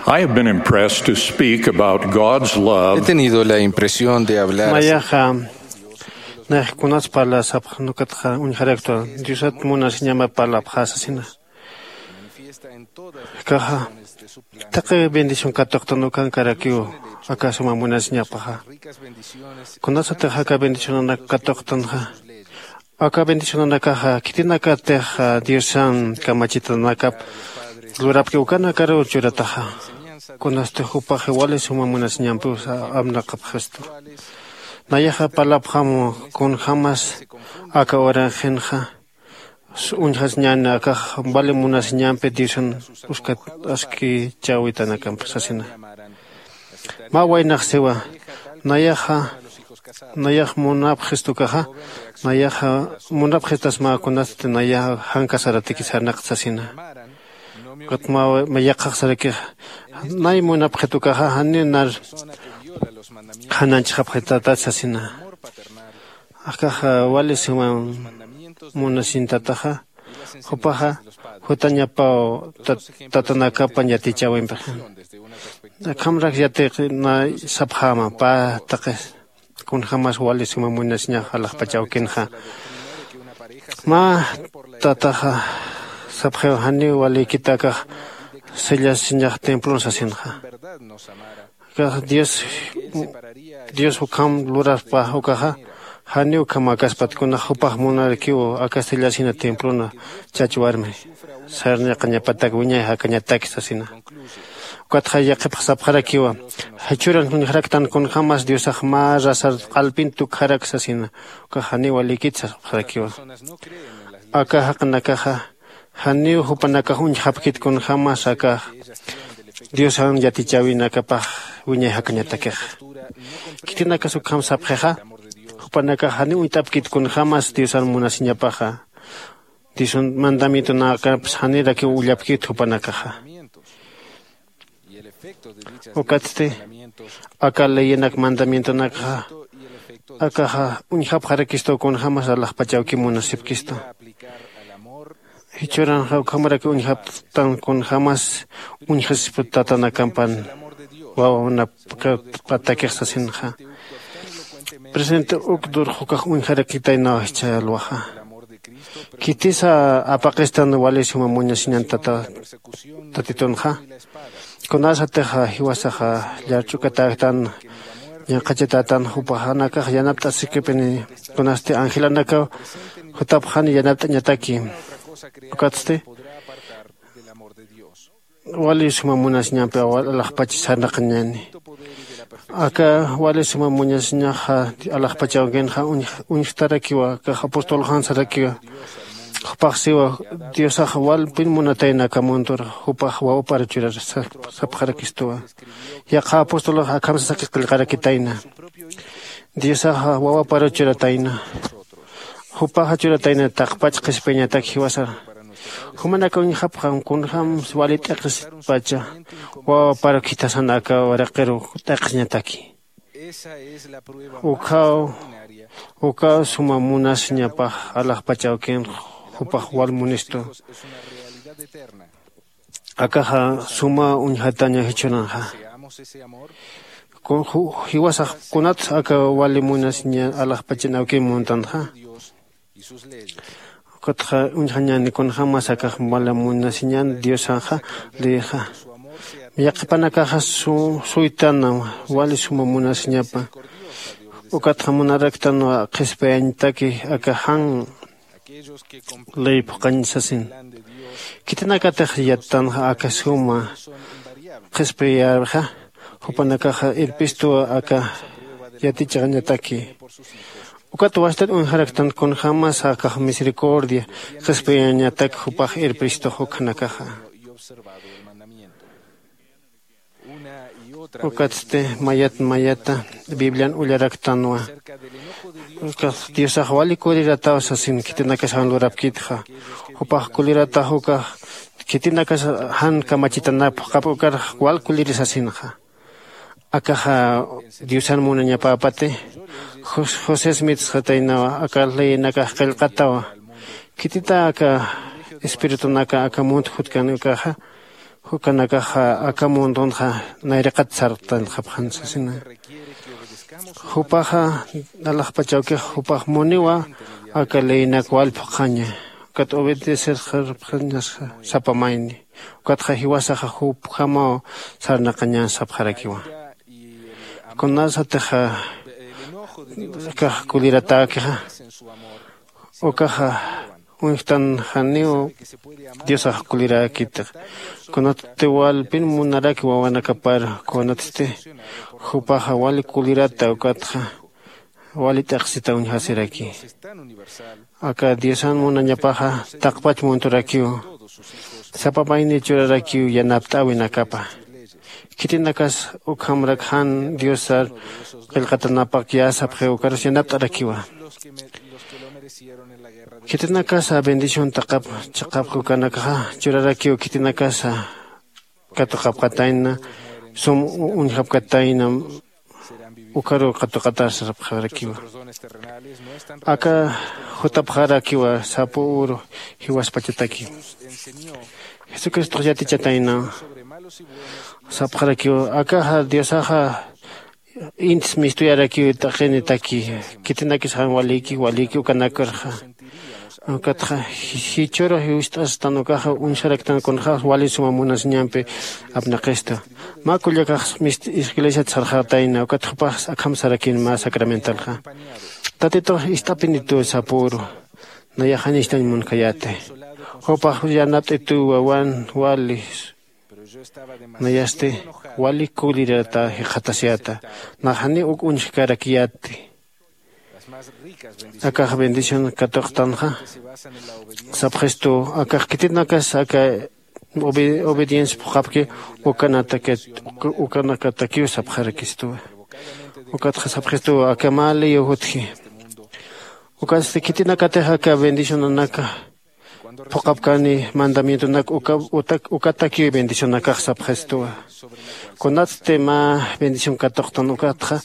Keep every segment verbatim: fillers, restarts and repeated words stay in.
I have been impressed to speak about God's love. He tenido la impresión de hablar. Nayaxa nayax kunas parlasapxa nukatxa uñjaraktwa diosat munasiñama parlapxasasina. Kaxa taqi bendición katuqtan ukankarakiw aka suma munasiñapaxa. Kunasatix aka bendicionanak katuqtanxa aka bendicionanakaxa khitinakatix diosan kamachitanakap lurapki ukanakaruw churataxa. Kunasti jupaxi wali suma munasiñampiw amnaqapxistu. Nayaxa parlapxamu kunjämas aka uranxinxa uñjasiñäni akax wali munasiñampi diosan uskat askichäwitanakampi sasina. Mä waynax siwa nayaxa nayax munapxistukaxa nayaxa munapxistas mä kunasti nayaxa jan casaratiki sarnaqta sasina. Ukat mä yaqhax sarakixa nay munapxitukaxa janiw nar jananchxapxitatat sasina. Akaxa wali suma munasintataxa jupaxa jutañapaw tatanakapan yatichäwimpixin. Akhamrak yatiq nay sapxäma pä taqi kunjämas wali suma munasiñax alaxpach awkinxa. Mä tataxa sapxiw janiw walikitakax sellasiñax templon sasinxa. Akax dios dios ukham luraspa ukaxa janiw ukhamäkaspat kunax jupax munarakiw aka sellasina templona chach warmi sarnaqañapatak wiñay jakañataki sasina. Ukatxa yaqhipxsapxarakiwa jichhüran uñjaraktan kunjämas diosax mä rasar q'alpin tukjarak sasina. Ukax janiw walikit sapxarakiwa aka jaqinakaxa janiw jupanakax uñjapkit kunjämas akax diosan yatichäwinakapax wiñay jakañatakixa. Khitinakas ukham sapxixa jupanakax janiw uñt'apkit kunjämas diosan munasiñapaxa. Diosan mandamientonakapas janirakiw ullapkit jupanakaxa. Ukatsti aka leyenak mandamientonakxa akaxa uñjapxarakistu kunjämas alaxpach awki munasipkistu. Jichhüranxa ukhamaraki uñjaptan kunjämas uñjasispa tatanakampan wawanapkapatakix sasinxa. Presente uk durxukax uñjarakitaynaw jichha alwaxa. Khitisa apaqistan wali suma muñasiñan tata tatitunxa. Kunasatixa jiwasaxa llarch'ukatäktan ñanqhachatätan jupaxanakax yanapt'asikipini. Kunasti angelanakaw jutapxani yanapt'añataki. Ukatsti wali suma munasiñampi alaxpach sarnaqañani. Aka wali suma muñasiñaxa alaxpachawkinxa uñjtarakiwa akax apostolxan sarakiwa. Jupax siwa diosax walpin munatayna aka muntur jupax wawapar churar sapxarakistuwa. Yaqha apostolx akham sasaki qillqarakitayna. Diosaxa wawapar churatayna. Jupaxa churatayna taqpach qhispiyañatak jiwasar. Jumanaka uñjapxam kunjämsa wali t'eqispacha wawapar khithasan aka waraqiru t'eqisñataki. Ukhaw ukaw suma munasiñapax alaxpach awkin jupax wal munistu. Akaxa suma uñjataña jichhünanxa. Jiwasax kunatsa aka wali munasiña alaxpachin awkin muntanxa. Ukatxa uñjañäni kunjämas akax wali munasiñan diosanxa. Leyxa yaqhipanakaxa suytana wali suma munasiñapa. Ukatxa munaraktanwa qhispiyañataki aka jan ley phuqañ sasin. Khitinakatix yattanxa aka suma qhispiyäwixa jupanakaxa irpistuwa aka yatichañataki. Ukat wastat uñjaraktan kunjämas akax misericordia qhispiyañatak jupax irpistux ukhanakaxa. Ukatsti mayat mayata biblian ullaraktanwa. Ukat diosax wali kulirataw sasin khitinakasawan lurapkitxa. Jupax kuliratax ukax khitinakas jan kamachitanap juqap ukar wal kuliri sasinxa. Akaxa diosan munañapäpati josés mitsxataynawa aka leyenakax qillqatawa. Khitita aka espiritunaka aka munt jutkan ukaxa Jukanakaxa aka mundunxa nayraqat sarqtanxapxan sasina. Jupaxa alaxpachawkix jupax muniwa aka leynak wal phuqxaña. Ukat obedecer sarpxañasxa sapa mayni. Ukatxa jiwasaxa jupjamaw sarnaqaña sapxarakiwa. Kunasatixa kax kuliratäkixa ukaxa uñjtan janiw diosax kuliräkitix. Kunatsti walpin munaraki wawanakapar kunatsti jupaxa wali kulirata ukatxa wali t'iqsita uñjasiraki. Aka diosan munañapaxa taqpach munturakiw sapa mayni churarakiw yanapt'äwinakapa. Khitinakas ukhamrak jan diosar qillqatanapak yäsapxiw ukarus yanapt'arakiwa. Khitinakasa bendición taqap chiqapki ukanakaxa churarakiw khitinakasa katuqapkatayna sum uñjapkatayna ukaruw katuqatasarapxarakiwa. Aka jutapxarakiwa sapa uru jiwaspachataki. Jesucristox yatichatayna sapxarakiwa akaxa diosaxa intis mistuyarakiw t'aqinitaki. Khitinakis jan waliki waliki ukanakarxa ukatxa jichhürux jiwist'astan ukaxa uñjaraktan kunxax wali suma munasiñampi apnaqistu. Mä kullakax iglesiat sarxatayna ukat jupax akham sarakin mä sacramentalxa. Tatitux ist'apinituw sapüru nayax janïstañ munkhayäti. Jupax yanapt'ituw wawan wali nayasti wali kulirata jikxatasiyäta. Nax janiw uk uñjkarakiyäti. Akax bendición katuqtanxa sapxistuw akax khitinakas aka obediencia phuqhapki ukanakatakiw sapxarakistuwa. Ukatxa sapxistuwa aka mä leyow jutji. Ukatsti khitinakatix aka bendicionanaka phuqhapkani mandamientonak ukatakiw bendicionakax sapxistuwa. Kunatsti mä bendición katuqtan ukatxa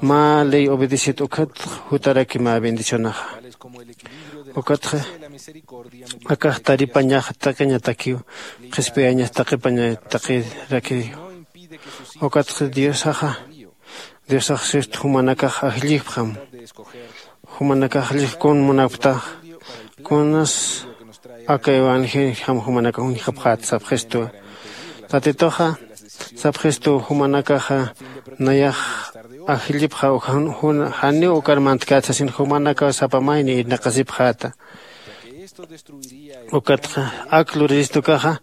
mä ley obedecit ukat jutaraki mä bendicionaxa. Ukatxa akax taripañax taqiñatakiw qhispiyañas taqipaña taqirakiw. Ukatxa diosaxa diosax sist jumanakax ajllipxam. Jumanakax ajllipx kun munapktax kunas aka evangelio jam jumanakax uñjapxät sapxistuwa. Tatituxa sapxistuw jumanakaxa nayax ajllipxa janiw ukar mantkät sasin jumanakaw sapa mayni irnaqasipxäta. Ukatxa ak luriristukaxa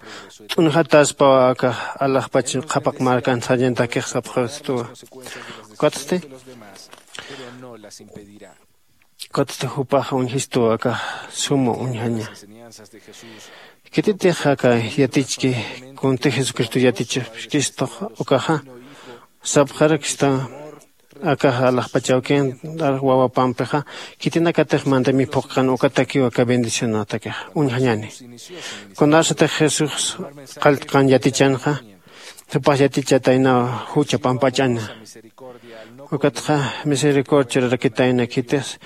t'unjataspaw aka alaxpach qhapaq markan sañantakix sapxistuwa. Ukatsti ukatsti jupax uñjistuw aka suma uñjaña. Khititix aka yatichki kunti jesucristo yatichkistuxa ukaxa sapxarakista akaxa alaxpachawkin wawapampixa khitinakatix mandami phuqkan ukatakiw aka bendicionatakixa uñjañani. Kunasatix jesús qalltqan yatichanxa jupax yatichataynaw jucha pampach'ana. Ukatxa misericordia churarakitayna khitix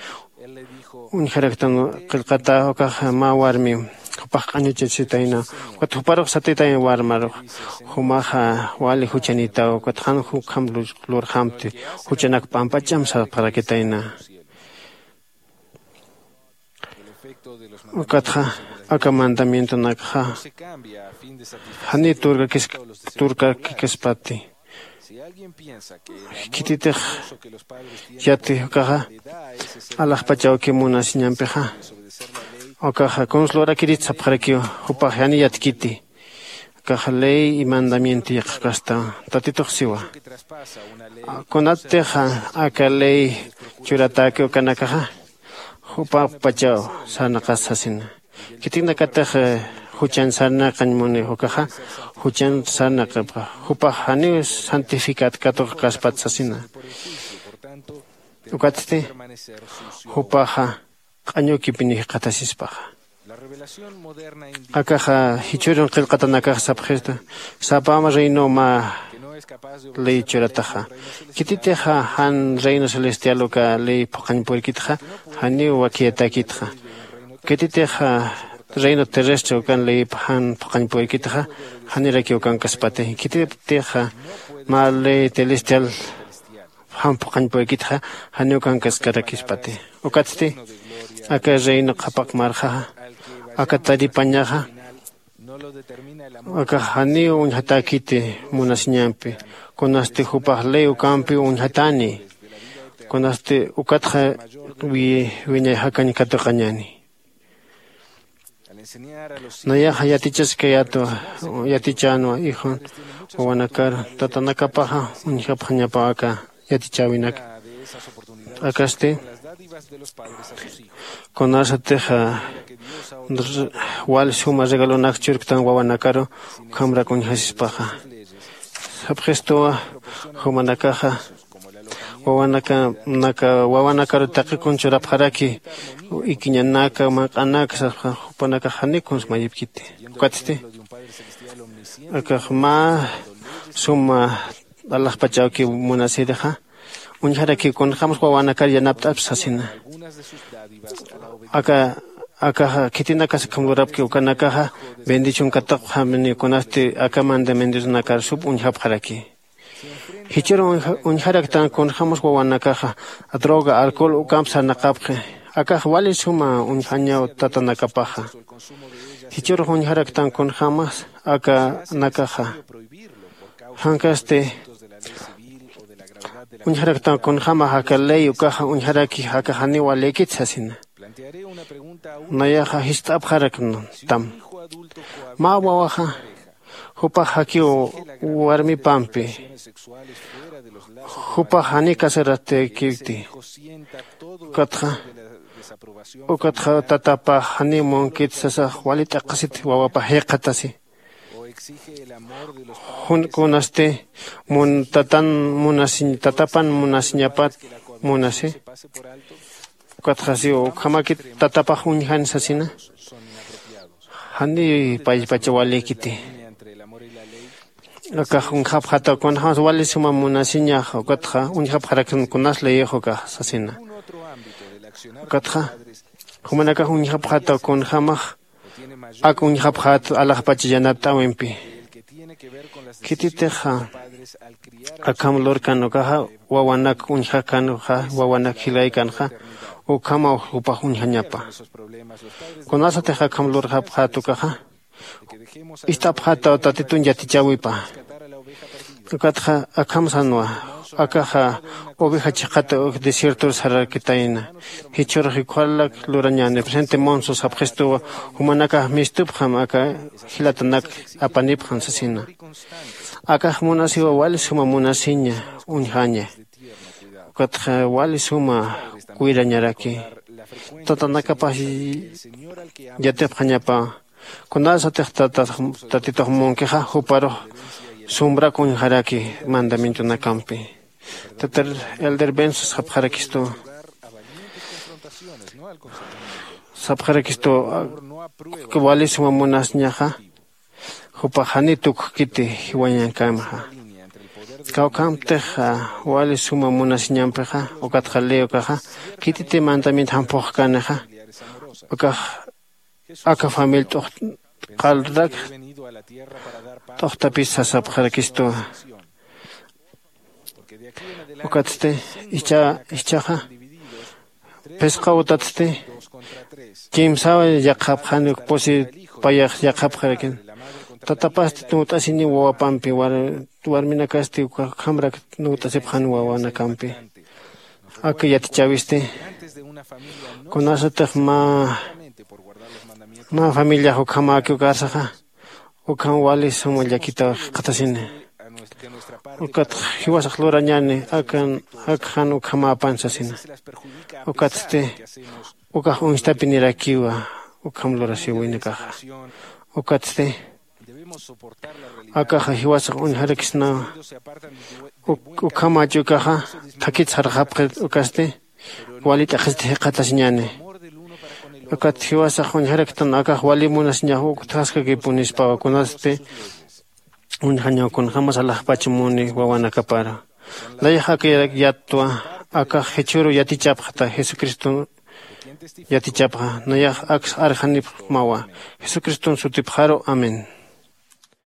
uñjaraktan qillqata ukaxa mä warmi jupax q'añuchachitayna. Ukat juparux satitayna warmarux jumaxa wali juchanitaw ukat jan jukham lurxamti juchanak p'ampach'am sapxarakitayna. Ukatxa aka mandamientonakxa janiw turkakis turkakikaspati. Khititix yati ukaxa alaxpachawki munasiñampixa ukaxa kunsa lurakirit sapxarakiw jupax jani yatkiti. Akaxa ley y mandamiento yaqhakasta tatitux siwa. Kunattixa aka ley churatäki ukanakaxa jupapachaw sarnaqas sasina. Khitinakatix juchan sarnaqañ muni ukaxa juchan sarnaqipxa jupax janiw santificat katuqkaspat sasina. Ukatsti jupaxa q'añukipini jikxatasispaxa. Akaxa jichhürun qillqatanakax sapxista sapama reino mä ley churataxa. Khititixa jan reino celestial uka ley phuqhañ purkitxa janiw wakiyatäkitxa. Khititixa reino terrestre ukan leypa jan phuqañpuwaykitxa janirakiw ukankaspati. Khititixa mä ley celestial jan phuqañpuwaykitxa janiw ukankaskarakispati. Ukatsti aka reino qhapaq marxaxa aka taripañaxa akax janiw uñjatäkiti munasiñampi. Kunasti jupax ley ukampiw uñjatani. Kunasti ukatxa wiñay jakañ katuqañäni. Nayaxa yatichaskayätwa yatichänwa ijun wawanakar tatanakapaxa uñjapxañapaw aka yatichäwinak. Akasti kunasatixa wal suma regalonak churktan wawanakaru ukhamrak uñjasispaxa. Sapxistuwa jumanakaxa wawanaka naka wawanakaru taqi kun churapxaraki ikiñanaka manq'anaka sasxa jupanakax janiw kuns mayipkiti. Ukatsti akax mä suma alaxpachawkiw munasirixa uñjarakiw kunjämas wawanakar yanapt'apsa sasina. Aka akaxa khitinakas akham lurapki ukanakaxa bendición kataqxamini kunasti aka mandamientonakar sup uñjapxaraki. Jichhür uñjaraktan kunjämas wawanakaxa droga alcohol ukamp sarnaqapxi. Akax wali suma uñjañaw tatanakapaxa. Jichhürux uñjaraktan kunjämas akanakaxa jankasti uñjaraktan kunjämax aka ley ukaxa uñjaraki aka janiw walïkit sasina. Nayaxa jist'apxaraktam mä wawaxa jupax jakiw warmipampi jupax janiw casaratäkiti. Ukatxa ukatxa tatapax janiw munkit sasax wali t'aqhasit wawapax jikxatasi. Jun kunasti tatan munasiñ tatapan munasiñapat munasi. Ukatxa siw ukhamakit tatapax uñjan sasina. Janiw paypacha walïkiti. Akax uñjapxataw kunjämas wali suma munasiñax ukatxa uñjapxaraktan kunas leyix ukax sasina. Ukatxa jumanakax uñjapxataw kunjämax ak uñjapxät alaxpach yanapt'äwimpi. Khititixa akham lurkan ukaxa wawanak uñjakan ukaxa wawanak jilkaykanxa ukhamaw jupax uñjañapa. Kunasatix akham lurxapxät ukaxa ist'apxätaw tatitun yatichäwipa. Ukatxa akham sänwa akaxa oveja chiqat desiertor sararakitayna. Jichhürux ukharak lurañäni presente monso sapxistuwa jumanakax mistupxam aka jilatanak apanipxam sasina. Akax munasiwa wali suma munasiña uñjaña. Ukatxa wali suma cuidañaraki tatanakapax yatipxañapa. Kunasatix tatitux munkixa juparux sumbrak uñjaraki mandamientonakampi. Tatar elder benso sapxarakistu sapxarakistu wali suma munasiñaxa jupax janiw tukkiti jiwañankämaxa. Kawkhamtix wali suma munasiñampixa ukatxa ley ukaxa khititi mandamiento jamphuxkänixa ukax aka famil t'uqt'alrak t'uqtapis sasapxarakistuwa. Ukatsti ichhaxa phisqa utatsti kimsaw yaqhapxani pusi payax yaqhapxarakin. Tatapasti nuwt'asiniw wawapampi warminakasti ukhamrak nuwt'asipxani wawanakampi. Aka yatichäwisti kunasatix mä mä familiax ukhamäki ukarsaxa ukham wali suma llakitaw jikxatasini. Ukatx jiwasax lurañäni akan ak jan ukhamäpan sasina. Ukatsti ukax uñstapinirakiwa ukham lurasiwinakaxa. Ukatsti akaxa jiwasax uñjarakisnawa. Ukhamach ukaxa thakit sarxapxi ukasti wali t'aqhisti jikxatasiñäni. Ukat jiwasax uñjaraktan akax wali munasiñax uktjaskakipunispawa kunasti uñjañaw kunjämas alaxpach muni wawanakaparu. Layax aka yattwa akax jichhüru yatichapxta jesucriston Yatichapxa nayax aks arjanipxmawa. Jesucriston sutipxaru, amén.